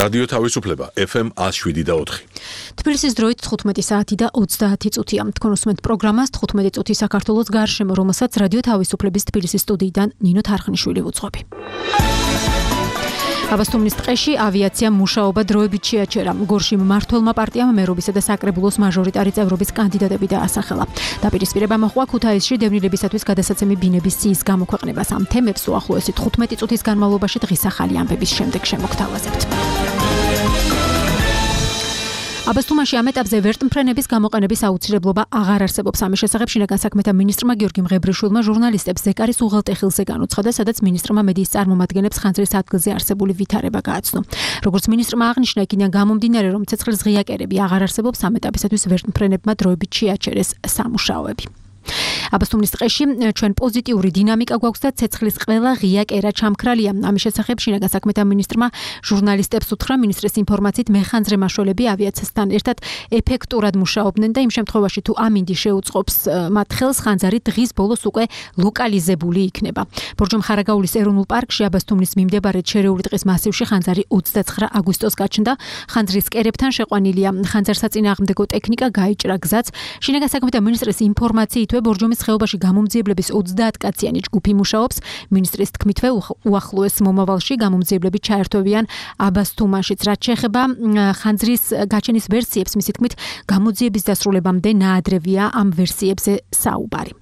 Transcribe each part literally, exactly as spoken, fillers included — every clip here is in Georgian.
რადიო თავისუფლება ეფ ემ ათს შვიდი და ოთხი. თბილისის დროით თხუთმეტი საათი და ოცდაათი წუთია. თქვენ უსმენთ პროგრამას თხუთმეტი წუთი საქართველოს გარშემო, რომელსაც რადიო თავისუფლების თბილისის სტუდიიდან ნინო თარხნიშვილი ვუძღვები. აბასთუმნის ტყეში ავიაცია მუშაობა დროებით შეაჩერა. გორში მმართველმა პარტიამ მერობისა და საკრებულოს მაჟორიტარი წევრობის კანდიდატები დაასახელა. დაპირისპირება მოჰყვა ქუთაისში დევნილებისათვის გადასაცემი ბინების სიის გამოქვეყნებას. ამ თემებს უახლოესი თხუთმეტი წუთის განმავლობაში დღის ახალი ამბების შემდეგ შემოგთავაზებთ. აბასთუმანში ამ ეტაპზე ვერტმფრენების გამოყენების აუცილებლობა აღარ არსებობს. ამის შესახებ შინაგან საქმეთა მინისტრმა გიორგი მღებრიშვილმა ჟურნალისტებს ზეკარის უღელტეხილზე განუცხადა, სადაც მინისტრმა მედიის წარმომადგენლებს ხანძრის ადგილზე არსებული ვითარება გააცნო. როგორც მინისტრმა აღნიშნა, იქიდან გამომდინარე, რომ ცეცხლის ღია კერები აღარ არსებობს, ამ ეტაპისათვის ვერტმფრენებმა დროებით შეაჩერეს სამუშაოები. აბასთუმნის ტყეში ჩვენ პოზიტიური დინამიკა გვაქვს და ცეცხლის ყველა ღია კერა ჩამქრალია. ამის შესახებ შინაგან საქმეთა მინისტრმა ჟურნალისტებს უთხრა, მინისტრის ინფორმაციით მეხანძრე მაშველები ავიაციასთან ერთად ეფექტურად მუშაობდნენ და იმ შემთხვევაში თუ ამინდი შეუწყობს მათ ხელს, ხანძარი დღის ბოლოს უკვე ლოკალიზებული იქნება. ბორჯომხარაგაულის ეროვნულ პარკში აბასთუმნის მიმდებარე შერეული ტყის მასივში ხანძარი ოცდაცხრა აგვისტოს გაჩნდა. ხანძრის კერებთან შეყვანილია ხანძარსაწინააღმდეგო ტექნიკა, გაიჭრა გზაც. შინაგან საქმეთა მინისტრის ინფორმაციით ბორჯომის ხეობაში გამომძიებლების ოცდაათკაციანი ჯგუფი მუშაობს. მინისტრის თქმითვე უახლოეს მომავალში გამომძიებლები ჩაერთვებიან აბასთუმანშიც. რაც შეეხება ხანძრის გაჩენის ვერსიებს, მისი თქმით გამოძიების დასრულებამდე ნაადრევია ამ ვერსიებზე საუბარი.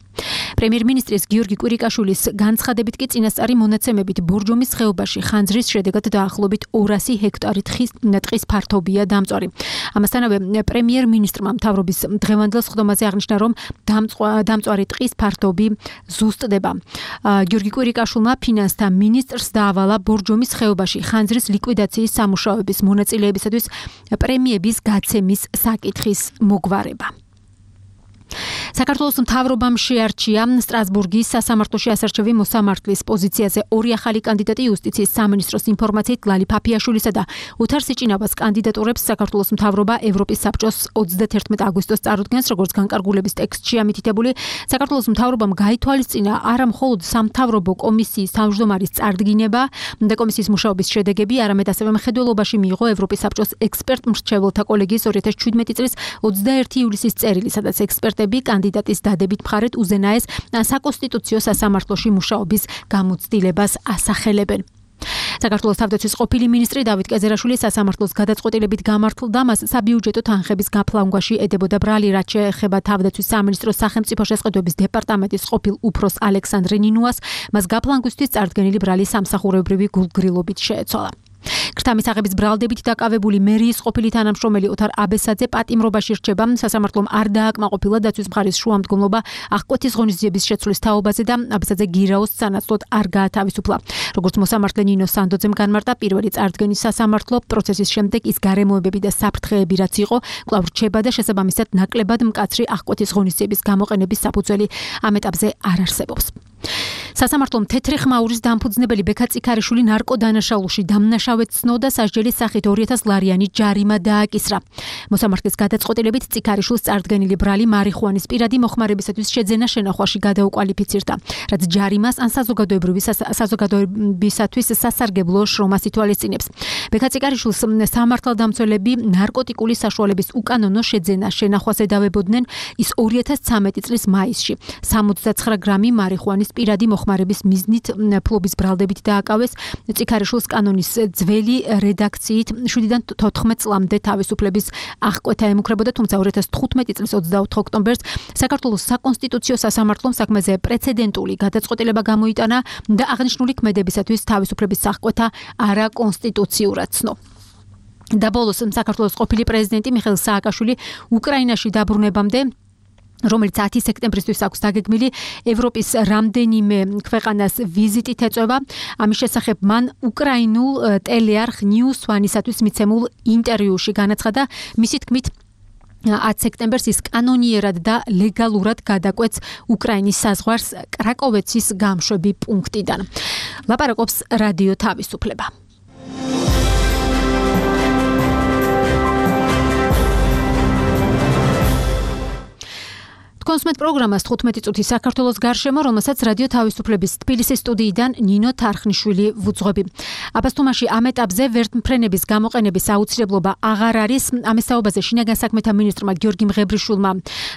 პრემიერ-მინისტრის გიორგი კვირიკაშვილის განცხადებით კი წინასწარი მონაცემებით ბორჯომის ხეობაში ხანძრის შედეგად დაახლოებით ორასი ჰექტარი ტყის ფართობია დამწვარი. ამასთანავე პრემიერ-მინისტრმა მთავრობის დღევანდელ სხდომაზე აღნიშნა, რომ დამწვარი ტყის ფართობი ზუსტდება. გიორგი კვირიკაშვილმა ფინანსთა მინისტრს დაავალა ბორჯომის ხეობაში ხანძრის ლიკვიდაციის სამუშაოების მონაწილეებისათვის პრემიების გაცემის საკითხის მოგვარება. საქართველოს მთავრობამ შეარჩია სტრასბურგის სასამართლოში ასარჩევი მოსამართლის პოზიციაზე ორი ახალი კანდიდატი. იუსტიციის სამინისტროს ინფორმაციით ლალი ფაფიაშვილისა და ოთარ სიჭინავას კანდიდატურებს საქართველოს მთავრობა ევროპის საბჭოს ოცდათერთმეტი აგვისტოს წარუდგენს, როგორც განკარგულების ტექსტში ამითითებული. საქართველოს მთავრობამ გაითვალისწინა არა მხოლოდ სამთავრობო კომისიის თავმჯდომარის წარდგინება და კომისიის მუშაობის შედეგები, არამედ ასევე მხედველობაში მიიღო ევროპის საბჭოს ექსპერტ-მრჩეველთა კოლეგიის ორი ათას შვიდმეტი წლის ოცდაერთი ივლისის წერილი, სადაც ექსპერტები კანდიდატის დადებით მხარეთ უზენაეს საკონსტიტუციო სასამართლოში მუშაობის გამოცდილებას ასახელებენ. საქართველოს თავდაცვის ყოფილი მინისტრი დავით კეზერაშვილი სასამართლოს გადაწყვეტილებით გამართლდა, მას საბიუჯეტო თანხების გაფლანგვაში ედებოდა ბრალი. რაც შეეხება თავდაცვის სამინისტროს სახელმწიფო შესყიდვების დეპარტამენტის ყოფილ უფროს ალექსანდრე ნინუას, მას გაფლანგვისთვის წარდგენილი ბრალი სამსახურებრივი გულგრილობით შეეცვალა. ქრთამის აღების ბრალდებით დაკავებული მერიის ყოფილი თანამშრომელი ოთარ აბესაძე პატიმრობაში რჩება. სასამართლომ არ დააკმაყოფილა დაცვის მხარის შუამდგომლობა აღკვეთის ღონისძიების შეცვლის თაობაზე და აბესაძე გირაოს სანაცვლოდ არ გაათავისუფლა. როგორც მოსამართლე ნინო სანდოძემ განმარტა, პირველი წარდგენის სასამართლო პროცესის შემდეგ ის გარემოებები და საფრთხეები რაც იყო, კვლავ რჩება და შესაბამისად ნაკლებად მკაცრი აღკვეთის ღონისძიების გამოყენების საფუძველი ამ ეტაპზე არ არსებობს. სასამართლომ თეთრი ხმაურის დამფუძნებელი ბექა წიქარიშვილი ნარკოდანაშაულში დამნაშავედ ცნო და სასჯელის სახით ორი ათას ლარიანი ჯარიმა დააკისრა. მოსამართლის გადაწყვეტილებით წიქარიშვილს წარდგენილი ბრალი მარიხუანის პირადი მოხმარებისათვის შეძენა შენახვაში გადაუკვალიფიცირდა, რაც ჯარიმას ან საზოგადოებისათვის სასარგებლო შრომას ითვალისწინებს. ბექა წიქარიშვილს სამართალდამცველები ნარკოტიკული საშუალების უკანონო შეძენა შენახვას ედავებოდნენ. ის ორი ათას ცხრამეტი წლის მაისში სამოცდაცხრა გრამი მარიხუანის პირადი მოხმარების მიზნით ფლობის ბრალდებით დააკავეს. წიქარიშვილს კანონის ძველი რედაქციით შვიდიდან თოთხმეტ წლამდე თავისუფლების აღკვეთა ემუქრებოდა, თუმცა ორი ათას თხუთმეტი წლის ოცდაოთხ ოქტომბერს საქართველოს საკონსტიტუციო სასამართლომ საქმეზე პრეცედენტული გადაწყვეტილება გამოიტანა და აღნიშნული ქმედებისათვის თავისუფლების აღკვეთა არაკონსტიტუციურად ცნო. და ბოლოს საქართველოს ყოფილი პრეზიდენტი მიხეილ სააკაშვილი უკრაინაში დაბრუნებამდე, რომელიც ათი სექტემბრისთვის აქვს დაგეგმილი, ევროპის რამდენიმე ქვეყანას ვიზიტით ეწევა. ამის შესახებ მან უკრაინულ ტელეარხ News One-ისათვის მიცემულ ინტერვიუში განაცხადა, მისი თქმით ათი სექტემბერს ის კანონიერად და ლეგალურად გადაკვეთს უკრაინის საზღვარს კრაკოვეცის გამშვები პუნქტიდან. ლაპარაკობს რადიო თავისუფლება. თქვენს მეტ პროგრამას თხუთმეტი წუთი საქართველოს გარშემო, რომელსაც რადიო თავისუფლების თბილისის სტუდიიდან ნინო თარხნიშვილი ვუძღვები. აბასთუმანში ამ ეტაპზე ვერტმფრენების გამოყენების აუცილებლობა აღარ არის. ამ ესაუბაზე შინაგან საქმეთა მინისტრმა გიორგი მღებრიშვილმა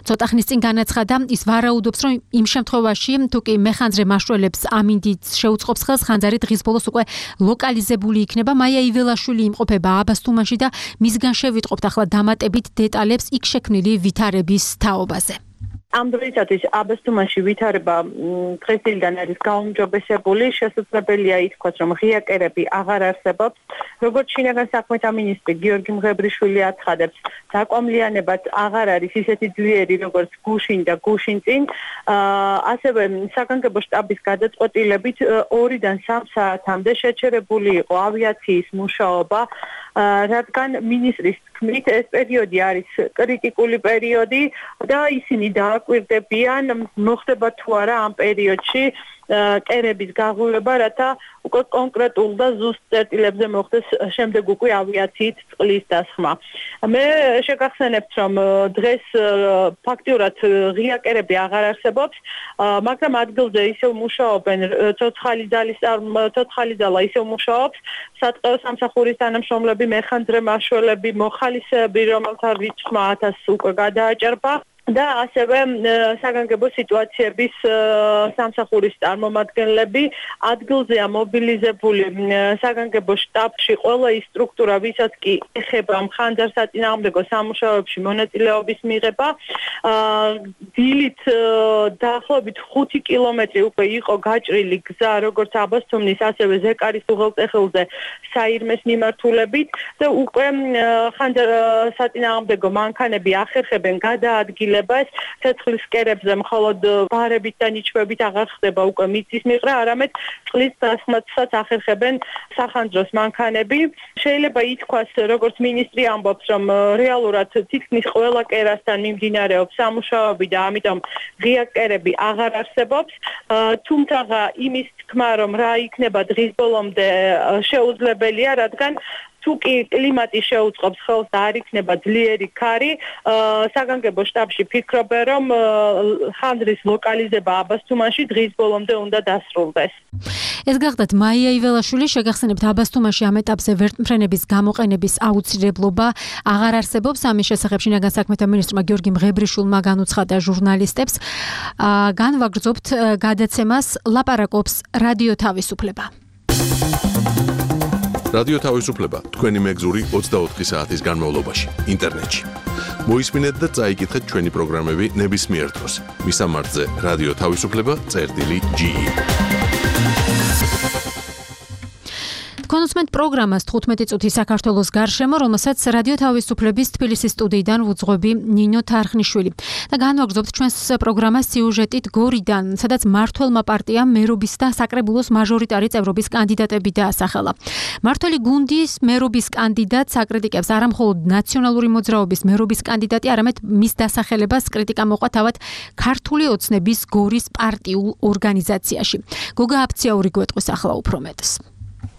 ცოტა ხნის წინ განაცხადა, ის ვარაუდობს, რომ იმ შემთხვევაში, თუ კი მეხანძრე მაშველებს ამინდიც შეუწყობს ხელს, ხანძარი დღის ბოლოს უკვე ლოკალიზებული იქნება. მაია იველაშვილი იმყოფება აბასთუმანში და მისგან შევიტყობთ ახლა დამატებით დეტალებს იქ შექმნილი ვითარების თაობაზე. ამ დროისათვის აბასთუმანში ვითარება დღესდღეიდან არის გაუმჯობესებული, შესაძლებელია ითქვას, რომ ღია კერები აღარ არსებობს. როგორც შინაგან საქმეთა მინისტრი გიორგი მღებრიშვილი აცხადებს, დაკომლიანებაც აღარ არის ისეთი ძლიერი, როგორც გუშინ და გუშინ წინ. ასევე საგანგებო შტაბის გადაწყვეტილებით ორიდან სამ საათამდე შეჩერებული იყო ავიაციის მუშაობა, რადგან მინისტრის თქმით ეს პერიოდი არის კრიტიკული პერიოდი და ისინი დააკვირდებიან, მოხდება თუ არა ამ პერიოდში კერების გაღვივება, რათა უკვე კონკრეტულ და ზუსტ წერტილებზე მოხდეს შემდეგ უკვე ავიაციით წყლის დასხმა. მე შეგახსენებთ, რომ დღეს ფაქტიურად ღია კერები აღარ არსებობს, მაგრამ ადგილზე ისევ მუშაობენ ცოცხალი ძალის ცოცხალი ძალა ისევ მუშაობს, სატყეო სამსახურის თანამშრომლები, მეხანძრე მაშველები, მოხალისეები, რომელთა რიცხვმა ათასს უკვე გადააჭარბა. და ასევე საგანგებო სიტუაციების სამსახურის წარმომადგენლები ადგილზეა მობილიზებული საგანგებო შტაბში ყველა ის სტრუქტურა, ვისაც კი ეხება მხანძარსაწინააღმდეგო სამუშაოებში მონაწილეობის მიღება. დილით დაახლოებით ხუთი კილომეტრი უკვე იყო გაჭრილი გზა, როგორც აბასთუმნის, ასევე ზეკარის უღელტეხილზე საირმეს მიმართულებით და უკვე მხანძარსაწინააღმდეგო მანქანები ახერხებენ გადაადგილებას. ცეცხლის კერებზე მხოლოდ ბარებით და ნიჩბებით აღარ ხდება უკვე მიწის მიღრა, არამედ წყლის დასხმასაც ახერხებენ სახანძროს მანქანები. შეიძლება ითქვას, როგორც მინისტრი ამბობს, რომ რეალურად თითქმის ყველა კერასთან მიმდინარეობს სამუშაოები და ამიტომ ღია კერები აღარ არსებობს. თუმცა იმის თქმა, რომ რა იქნება დღის ბოლომდე შეუძლებელია, რადგან თუ კი კლიმატი შეუწყობს ხელს და არ იქნება ძლიერი ქარი, საგანგებო შტაბში ფიქრობენ, რომ ხანძრის ლოკალიზება აბასთუმანში დღის ბოლომდე უნდა დასრულდეს. ეს გახდათ მაია იველაშვილი. შეგახსენებთ, აბასთუმანში ამ ეტაპზე ვერტმფრენების გამოყენების აუცილებლობა აღარ არსებობს. ამის შესახებ შინაგან საქმეთა მინისტრმა გიორგი მღებრიშვილმა განუცხადა ჟურნალისტებს. განვაგრძობთ გადაცემას, ლაპარაკობს რადიო თავისუფლება. რადიო თავისუფლება თქვენი მეგზური ოცდაოთხი საათის განმავლობაში ინტერნეტში. მოისმინეთ და წაიკითხეთ ჩვენი პროგრამები ნებისმიერ დროს. მისამართზე რადიო თავისუფლება წერტილი ჯი ი. თქვენსმენთ პროგრამას თხუთმეტი წუთი საქართველოს გარშემო, რომელსაც რადიო თავისუფლების თბილისის სტუდიიდან ვუძღვები ნინო თარხნიშვილი. და განვაგრძობთ ჩვენს პროგრამას სიუჟეტით გორიდან, სადაც მმართველმა პარტიამ მერობის და საკრებულოს მაჟორიტარი წევრობის კანდიდატები დაასახელა. მმართველი გუნდის მერობის კანდიდატს აკრიტიკებს არა მხოლოდ ნაციონალური მოძრაობის მერობის კანდიდატი, არამედ მის დასახელებას კრიტიკა მოყვა თავად ქართული ოცნების გორის პარტიულ ორგანიზაციაში. გოგა აფციაური გვეტყვის ახლა უფრო მეტს.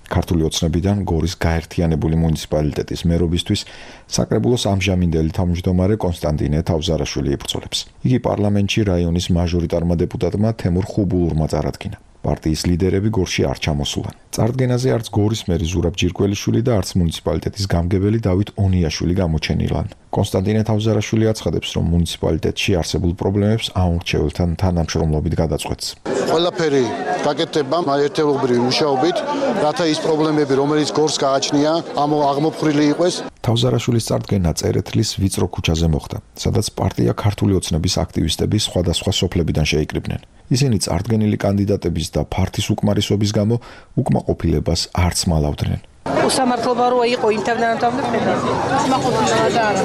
ქართული ოცნებიდან გორის გაერთიანებული მუნიციპალიტეტის მერობისთვის საკრებულოს ამჟამინდელი თავმჯდომარე კონსტანტინე თავზარაშვილი იბრძოლებს. იგი პარლამენტში რაიონის მაჟორიტარმა დეპუტატმა თემურ ხუბულურმა წარადგინა. პარტიის ლიდერები გორში არ ჩამოსულან. წარდგენაზე არც გორის მერი ზურაბ ჯირკველიშვილი და არც მუნიციპალიტეტის გამგებელი დავით ონიაშვილი გამოჩენილან. კონსტანტინე თავზარაშვილი აცხადებს, რომ მუნიციპალიტეტში არსებულ პრობლემებს აუმრჩეველთან თანამშრომლობით გადაწყვეტს. ყველაფერი გაკეთდება ერთეულობრივი მუშაობით, რათა ის პრობლემები, რომელიც გორს გააჩნია, აღმოფხვრილი იყოს. თავზარაშვილის წარდგენა წერეთლის ვიწრო ქუჩაზე მოხდა, სადაც პარტია ქართული ოცნების აქტივისტები სხვადასხვა სოფლებიდან შეიკრიბნენ. ისინი წარდგენილი კანდიდატების და ფართის უკმარისობის გამო უკმაყოფილებას არც მალავდნენ. უსამართლობა როა იყო იმ თანამდებობებთან. უკმაყოფილება და არა.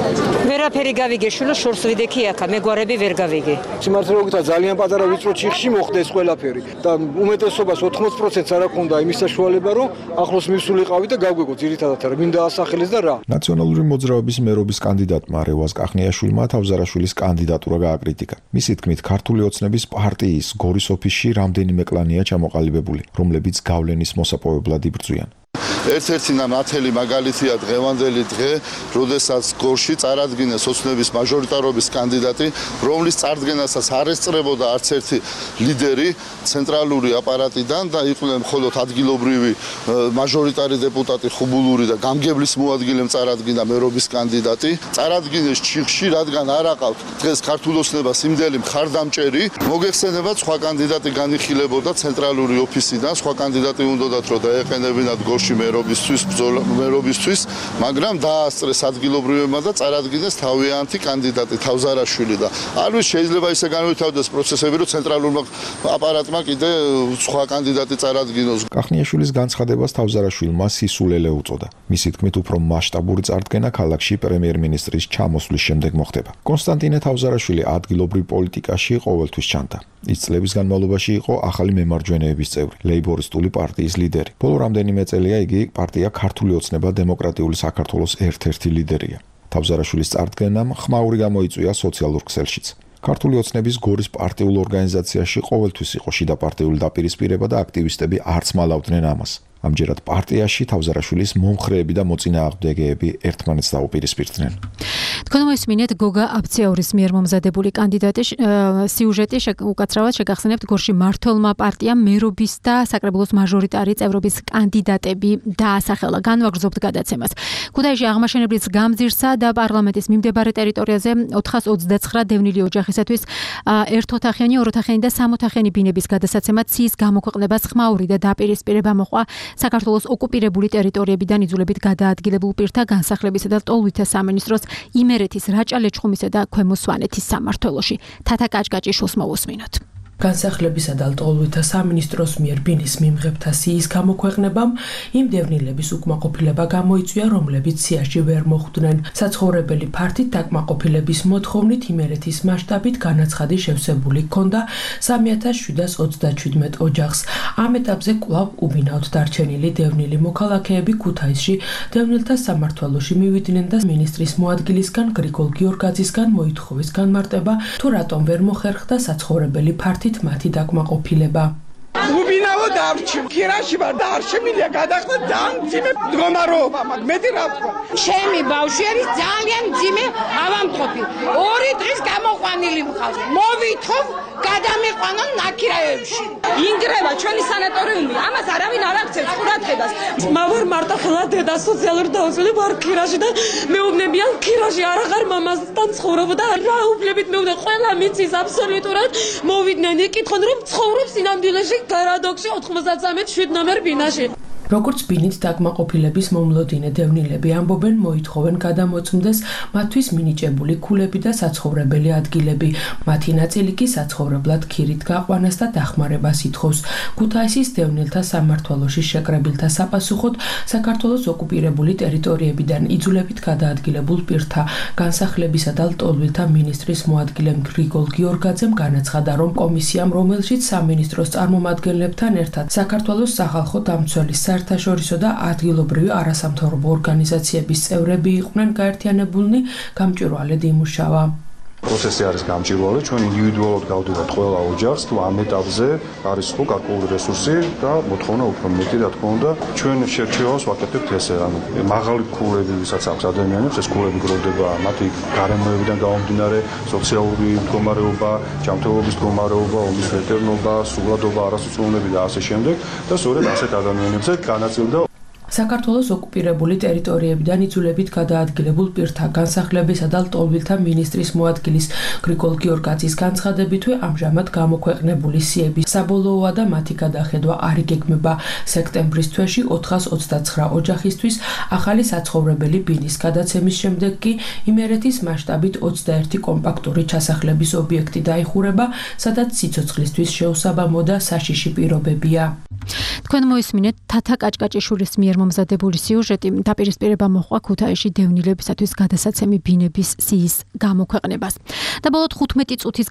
ვერაფერი გავიგე შულო შორს ვიდექი აქა, მეგვარები ვერ გავიგე. სიმართლე გითხრა ძალიან პატარა ვიწრო ჩიხში მოხდა ეს ყველაფერი და უმეტესობას ოთხმოცი პროცენტს არ აქვს იმის საშუალება, რომ ახლოს მისულიყავი და გავგეგო ძირითადად რა მინდა ასახელეს და რა. ნაციონალური მოძრაობის მერობის კანდიდატმა რევაზ კახნიაშვილმა თავზარაშვილის კანდიდატურა გააკრიტიკა. მისი თქმით, ქართული ოცნების პარტიის გორის ოფისში რამდენიმე კლანია ჩამოყალიბებული, რომლებიც გავლენის მოსაპოვებლად იბრძვიან. ერთ-ერთი ნათელი მაგალითია დღევანდელი დღე, როდესაც გორში წარადგინეს ოცნების მაჟორიტარობის კანდიდატი, რომლის წარდგენასაც არ ესწრებოდა არც ერთი ლიდერი ცენტრალური აპარატიდან და იყვნენ მხოლოდ ადგილობრივი მაჟორიტარი დეპუტატი ხუბულური და გამგებლის მოადგილემ წარადგინა მერობის კანდიდატი. წარადგინეს ჩიხში, რადგან არ აყავთ დღეს ქართულ ოცნებას იმდელი მხარდამჭერი, მოგეხსენებათ სხვა კანდიდატი განიხილებოდა ცენტრალური ოფისიდან, სხვა კანდიდატი უნდათ რომ დაეყენებინათ გორში მერობისთვის, მერობისთვის, მაგრამ დაასწრეს ადგილობრივებმა და წარადგინეს თავიანთი კანდიდატი თავზარაშვილი და არ ვიცი შეიძლება ისე განვითარდეს პროცესები, რომ ცენტრალურმა აპარატმა კიდე სხვა კანდიდატი წარადგინოს. კახნიაშვილის განცხადებას თავზარაშვილმა სისულელე უწოდა. მისი თქმით, უფრო მასშტაბური წარდგენა ქალაქში პრემიერ-მინისტრის ჩამოსვლის შემდეგ მოხდება. კონსტანტინე თავზარაშვილი ადგილობრივ პოლიტიკაში ყოველთვის ჩანდა. ის წლების განმავლობაში იყო ახალი მემარჯვენეების წევრი, ლეიბორისტული პარტიის ლიდერი. ბოლო რამდენიმე წელია იგი პარტია ქართული ოცნება დემოკრატიული საქართველოს ერთ-ერთი ლიდერია. თავზარაშვილის წარდგენამ ხმაური გამოიწვია სოციალურ ქსელშიც. ქართული ოცნების გორის პარტიულ ორგანიზაციაში ყოველთვის იყო შიდა პარტიული დაპირისპირება და აქტივისტები არც მალავდნენ ამას. ამჯერად პარტიაში თავზარაშვილის მომხრეები და მოწინააღმდეგეები ერთმანეთს დაუპირისპირდნენ. თქვენ მოისმინეთ გოგა აბციაურის მიერ მომზადებული კანდიდატის სიუჟეტი უკაცრავად შეგახსენებთ გორში მართლმა პარტიამ მერობის და საკრებულოს მაჟორიტარი წევრობის კანდიდატები დაასახელა. განვაგრძობთ გადაცემას. ქუთაისში აღმაშენებლის გამზირსა და პარლამენტის მიმდებარე ტერიტორიაზე ოთხას ოცდაცხრა დევნილი ოჯახისათვის ერთოთახიანი, ოროთახიანი და სამოთახიანი ბინების გადასაცემად ციის გამოქვეყნებას ხმაური და დაპირისპირება მოყვა საქართველოს ოკუპირებული ტერიტორიებიდან იძულებით გადაადგილებულ პირთა განსახლებისა და ტოლვითა სამინისტროს იმერეთის რაჭა-ლეჩხუმისა და ქვემო სვანეთის სამმართველოში. თათა კაჭკაჭიშვილს მოვუსმინოთ. განსახლებისა და ტოლვითა სამინისტროს მიერ ბინის მიმღებთა სიის გამოქვეყნებამ იმ დევნილების უკმაყოფილება გამოიწვია, რომლებიც სიაში ვერ მოხვდნენ. საცხოვრებელი ფართით დაკმაყოფილების მოთხოვნით იმერეთის მასშტაბით განაცხადი შევსებული ჰქონდა სამი ათას შვიდას ოცდაჩვიდმეტ ოჯახს. ამ ეტაპზე კვლავ უბინავთ დარჩენილი დევნილი მოქალაქეები ქუთაისში დევნილთა სამმართველოში მივიდნენ და მინისტრის მოადგილისგან გრიგოლ გიორგაძისგან მოითხოვეს განმარტება, თუ რატომ ვერ მოხერხდა საცხოვრებელი ფართით მათი დაკმაყოფილება. უბინავო დარჩი ქირაში ვარ და არ შემიძლია გადახდა დამძიმე მდგომარეობა მაგ მეტი რა ვთქვა ჩემი ბავშვი არის ძალიან ძიმე ავამყოფი ორი დღის გამოყვანილი მყავს მოვითხოვ გადამიყვანონ ნაკირაევში ინგრევა ჩვენი სანატორიუმი ამას არავინ არ აქცევს ყურადღებას მავარ მარტო ხელა დედა სოციალურ დაუცველი ვარ ქირაში და მეუბნებიან ქირაში არ აღარ მამასთან ცხოვრობ და რა უფლებით მეუბნე ყველა მიცის აბსოლუტურად მოვიდნენ იკითხონ რომ ცხოვრობს ინამდვილეში გარადოქსი ოთხმოცდასამი შვიდ ნომერ ბინაში. როგორც ბინით დაკმაყოფილების მომლოდინე დევნილები ამბობენ, მოითხოვენ გადამოწმდეს მათთვის მინიჭებული ქულები და საცხოვრებელი ადგილები. მათი ნაწილი კი საცხოვრებლად ქირით გაყვანას და დახმარებას ითხოვს. ქუთაისის დევნილთა სამმართველოში შეკრებილთა საპასუხოდ საქართველოს ოკუპირებული ტერიტორიებიდან იძულებით გადაადგილებულ პირთა განსახლებისა და ლტოლვილთა მინისტრის მოადგილემ გრიგოლ გიორგაძემ განაცხადა, რომ კომისიამ, რომელშიც სამინისტროს წარმომადგენლებთან ერთად საქართველოს სახალხო დამცველის საერთაშორისო და ადგილობრივი არასამთავრობო ორგანიზაციების წევრები იყვნენ გაერთიანებულნი, გამჭვირვალედ იმუშავა. პროცესი არის გამჭვირვალე, ჩვენ ინდივიდუალურად გავდივართ ყველა ოჯახს, თუ ამ ეტაპზე არის ხო გარკვეული რესურსი და მოთხოვნა უფრო მეტი, რა თქმა უნდა, ჩვენ შერჩევას ვაკეთებთ ესე, ანუ მაღალი ქულები, ვისაც აქვს ადამიანებს, ეს ქულები გროვდება მათი გარემოებიდან გამომდინარე, სოციალური მდგომარეობა, ჯანმრთელობის მდგომარეობა, ომის ვეტერნობა, სულადობა, არასოციალურები და ასე შემდეგ და სწორედ ასეთ ადამიანებზე განაწილდა საქართველოს ოკუპირებული ტერიტორიებიდან იძულებით გადაადგილებულ პირთა განსახლებისა და ლტოლვილთა მინისტრის მოადგილის გრიგოლ გიორგაძის განცხადებითვე ამჟამად გამოქვეყნებული სიების საბოლოოა და მათი გადახედვა არ იგეგმება. სექტემბრის თვეში ოთხას ოცდაცხრა ოჯახისთვის ახალი საცხოვრებელი ბინის გადაცემის შემდეგ კი იმერეთის მასშტაბით ოცდაერთი კომპაქტური ჩასახლების ობიექტი დაიხურება, სადაც სიცოცხლისთვის შეუსაბამო და საშიში პირობებია. თქვენ მოისმინეთ თათა კაჭკაჭიშვილის მიერ მომზადებული სიუჟეტი დაპირისპირება მოყვა ქუთაისში დევნილებისათვის გადასაცემი ბინების სიის გამოქვეყნებას. და ბოლოდ ხუთმეტი წუთის